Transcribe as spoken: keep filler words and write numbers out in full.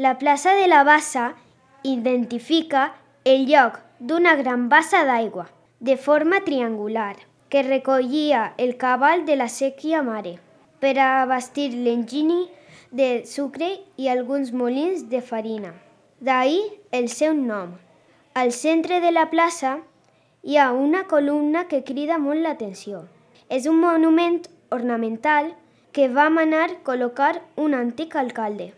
La plaça de la Bassa identifica el lloc d'una gran bassa d'aigua, de forma triangular, que recollia el cabal de la sèquia mare per a abastir l'enginy de sucre i alguns molins de farina. D'ahí el seu nom. Al centre de la plaça hi ha una columna que crida molt l'atenció. És un monument ornamental que va manar col·locar un antic alcalde.